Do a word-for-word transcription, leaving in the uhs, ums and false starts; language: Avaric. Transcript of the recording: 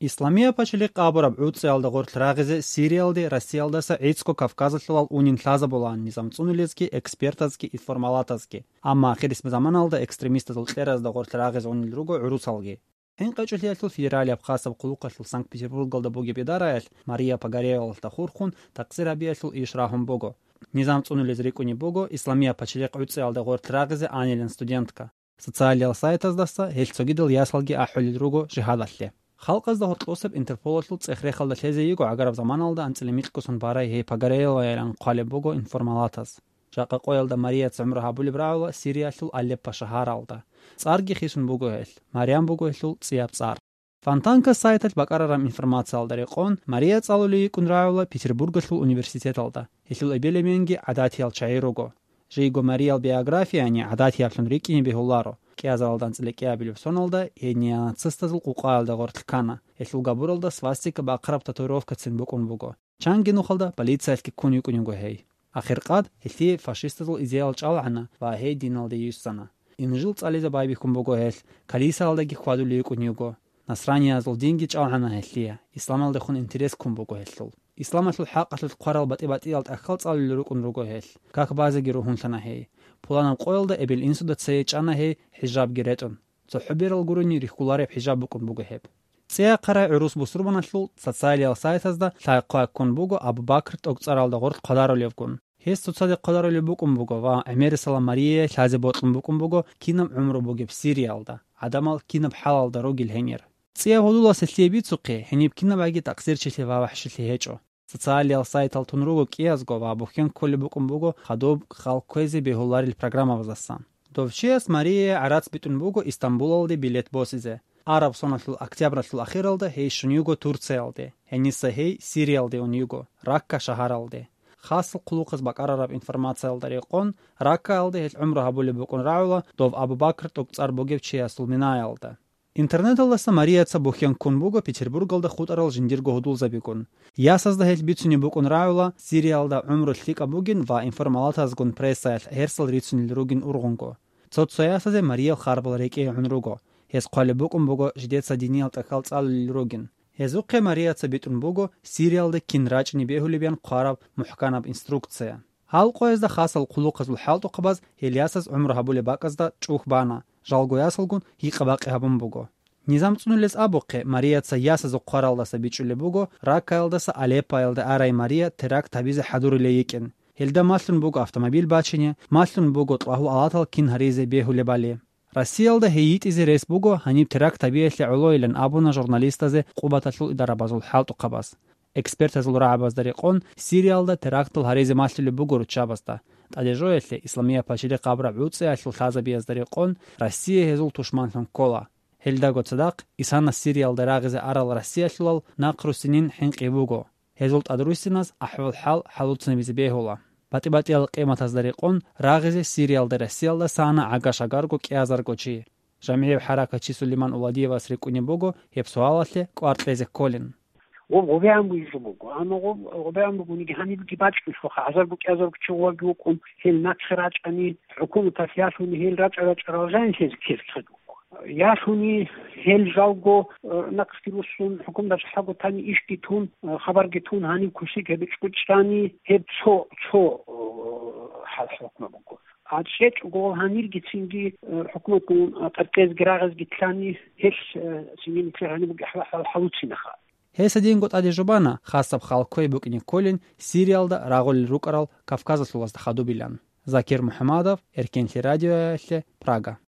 Исламия пачалихъ абураб гӀуцӀиялда гъорлъ рагъизе Сириялде Россиялдаса гӀицӀго Кавказалъулал унин лъазабулаан низам цӀунулезги, экспертазги, информалатазги. Амма ахирисеб заманалда экстремистазул кьеразда гъорлъ рагъизе унел руго гӀурусалги. ХӀинкъичӀелъиялъул федералияб хасаб хъулухъалъул Санкт-Петербургалда бугеб идараялъ Мария Погореловалда хурхун такъсир гьабиялъул иш рагьун буго. Низам цӀунулез рикӀкӀунеб буго Исламия пачалихъ гӀуцӀиялда гъорлъ рагъизе анилан студентка. Социалиял сайтаздаса гьел цогидал ясалги ахӀулел руго жигьадалъе. Халкъазда гьоркьосеб Интерполалъул цӀех-рехалда лъезе йиго гӀагараб заманалда анцӀила микьго сон барай гьей Погореловайилан хъвалеб буго информалатаз. Жакъа къоялда Марияца гӀумру гьабулеб рагӀула Сириялъул Алеппо шагьаралда. ЦӀарги хисун буго гьелъ, Марям буго гьелъул цӀияб цӀар. Фонтанка сайталъ бакӀарараб информациялда рекъон, Мария цӀалулей йикӀун рагӀула Петербургалъул университеталда. Гьелъул эбел-эменги гӀадатиял чагӀи руго. Жийго Мариял биографияни гӀадатияблъун рикӀкӀине бегьуларо. КӀиазаралда анцӀила кӀиабилеб соналда гьей неонацистазул къукъаялда гъорлъ ккана. Гьелъул габуралда свастика бахъараб татуировкацин букӀун буго. Чанги нухалда полициялъги ккун йикӀун йиго гьей. Ахиркъад гьелъие фашистазул идеял чӀалгӀана ва гьей диналде йиссана. Инжил цӀализе байбихьун буго гьелъ, калисаялдаги хьвадулей йикӀун йиго. Насраниязул динги чӀалгӀана гьелъие, исламалдехун интерес ккун буго гьелъул. Исламалъул хӀакъалъулъ хъварал батӀи-батӀиял тӀахьал цӀалулел рукӀун руго гьелъ. Как базеги ругьунлъана гьей. Пуланаб къоялда эбел-инсуда цее чӀана гьей хӀижабги ретӀун. ЦохӀо берал гурони рихьулареб хӀижаб букӀун буго гьеб. ЦӀеяхъарай гӀурус бусурбаналъул социалиял сайтазда лъай-хъвай ккун буго Абу Бакр тӀокӀцӀаралда гъорлъ хъвадарулевгун. Гьес цоцазе хъвадарулеб букӀун буго ва гӀемерисела Марияе лъазе бокьун букӀун буго кинаб гӀумру бугеб Сириялда, гӀадамал кинаб хӀалалда ругел гьенир. ЦӀияб гьудуласе лъие бицухъе, гьениб кинабаги такъсирчилъи ва вахӀшилъи гьечӀо. Социалиял сайтал тун руго кӀиязго ва бухьен кколеб букӀун буго хадуб хал кквезе бегьуларел программабаздасан. Дов чияс Марияе гӀарац битӀун буго Истамбулалде билет босизе. Араб соналъул октябралъул ахиралда гьей щун йиго Турциялде, гьениса гьей Сириялде ун йиго, Ракка шагьаралде. Хасал хъулухъаз бакӀарараб информациялда рекъон, Раккаялде гьел гӀумру гьабулеб букӀун рагӀула дов Абу Бакр тӀокӀцӀар бугев чиясул минаялда. Интернеталдаса Марияца бухьен ккун буго Петербургалда хутӀарал жиндирго гьудулзабигун. Ясазда гьел бицунеб букӀун рагӀула Сириялда гӀумру лъикӀаб бугин ва информалатазгун прессаялъ гьерсал рицунел ругин ургъунго. Цо-цо ясазе Мариял харбал рекӀее гӀун руго. Гьез хъвалеб букӀун буго жидеца диниял тӀахьал цӀалулел ругин. Гьезухъе Марияца битӀун буго Сириялда кин рачӀине бегьулеб ян хъвараб мухӀканаб инструкция. Гьал къоязда хасал хъулухъазул хӀалтӀухъабаз гьел ясаз гӀумру гьабулеб бакӀазда чӀухь бана, жалго ясалгун гьикъа-бакъи гьабун буго. Низам цӀунулез абухъе, Марияца ясазухъ хъваралдаса бичӀчӀулеб буго, Раккаялдаса Алеппоялде арай Мария теракт гьабизе хӀадурулей йикӀин. Гьелда малъун буго автомобиль бачине, малъун буго кьвагьу-алатал кин гьаризе бегьулебали. Россиялда гьей йитӀизе рес буго гьаниб теракт гьабиялъе гӀолойилан абуна журналистазе Къубаталъул идарабазул хӀалтӀухъабаз. Экспертазул рагӀабазда рекъон, Сириялда терактал гьаризе малъулеб буго руччабазда, тӀаде жоялъе Исламия пачалихъ абураб гӀуцӀиялъул лъазабиязда рекъон, Россия гьезул тушманлъун ккола. Гьелдаго цадахъ, исана Сириялда рагъизе арал Россиялъулал нахъруссинин хӀинкъи буго. Гьезул тӀадруссиназ ахӀвал-хӀал хӀалуцинабизе бегьула. БатӀи-батӀиял къиматазда рекъон, рагъизе Сириялда Россиялдаса ана гӀага-шагарго кӀиазарго чи. ЖамгӀияв хӀаракатчи Сулейман Уладиевас рикӀкӀунеб буго гьеб суалалъе кӀвар кьезе кколин. Гъоб гъобегӀан бугеб жо буго. Амма гъоб гъобегӀан бугониги, гьанибги бачӀунелъулха, гӀазарго-кӀиазарго чи гъоваги вукӀун, гьел нахъе рачӀани, хӀукуматалъ ялъуни, гьел рачӀа-рачӀарал жанилъезе ккезе ккезе буго. Ялъуни, гьел жалго, э, нахъги руссун, хӀукуматалъ хӀаго тани ишги тун, э, хабарги тун, гьаниб кусиг гьеб чӀучӀани, гьеб цо, цо, э, хӀал-хӀукму буго. А чӀечӀого гьанирги цинги, э, хӀукуматгун, э, тӀаркӀезги рагъизги лъани, гьелъ, э, цинги нилъер гьаниб бугеб хӀал-, хӀал-, хӀалуцинаха. Гьес гьединго тӀаде жубана, хасаб хал кквей букӀине кколин Сириялда рагъулел рукӀарал Кавказалъулазда хадубилан. Закир МухӀамадов, Эркенлъи радиоялъе, Прага.